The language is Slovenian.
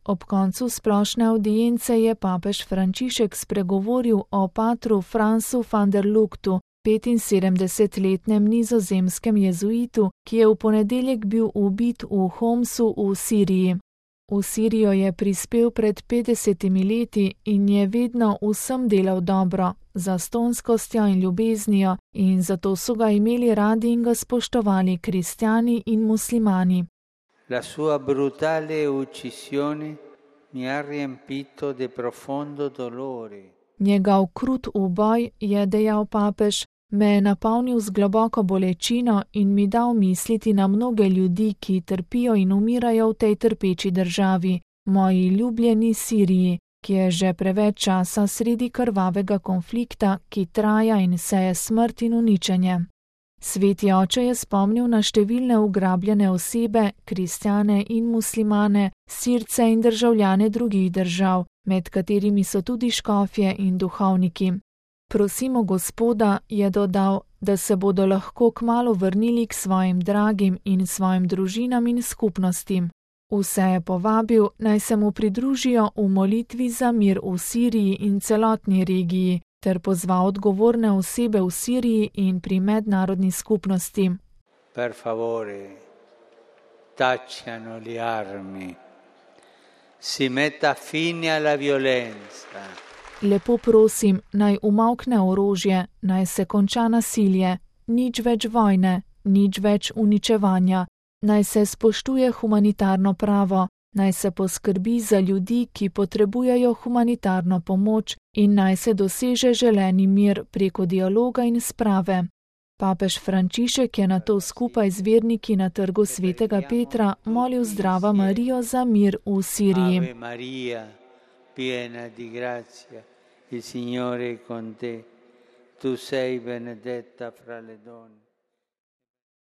Ob koncu splošne avdience je papež Frančišek spregovoril o patru Francu van der Lugtu, 75-letnem nizozemskem jezuitu, ki je v ponedeljek bil ubit v Homsu v Siriji. V Sirijo je prispel pred 50 leti in je vedno vsem delal dobro, z zastonskostjo in ljubeznijo, in zato so ga imeli radi in ga spoštovali kristjani in muslimani. La sua brutale uccisione mi ha riempito di profondo dolore. Njegov krut uboj, je dejal papež, me je napolnil z globoko bolečino in mi dal misliti na mnoge ljudi, ki trpijo in umirajo v tej trpeči državi, moji ljubljeni Siriji, ki je že preveč časa sredi krvavega konflikta, ki traja in seje smrt in uničenje. Sveti oče je spomnil na številne ugrabljene osebe, kristjane in muslimane, Sirce in državljane drugih držav, med katerimi so tudi škofje in duhovniki. Prosimo Gospoda, je dodal, da se bodo lahko kmalu vrnili k svojim dragim in svojim družinam in skupnostim. Vse je povabil, naj se mu pridružijo v molitvi za mir v Siriji in celotni regiji, ter pozval odgovorne osebe v Siriji in pri mednarodni skupnosti. Per favore, tacciano le armi, si metta fine alla violenza. Lepo prosim, naj umavkne orožje, naj se konča nasilje, nič več vojne, nič več uničevanja, naj se spoštuje humanitarno pravo, naj se poskrbi za ljudi, ki potrebujejo humanitarno pomoč, in naj se doseže želeni mir preko dialoga in sprave. Papež Frančišek je nato skupaj z verniki na trgu svetega Petra molil Zdrava Marijo za mir v Siriji. Ave Maria, piena di grazia, il Signore è con te, tu sei benedetta fra le donne.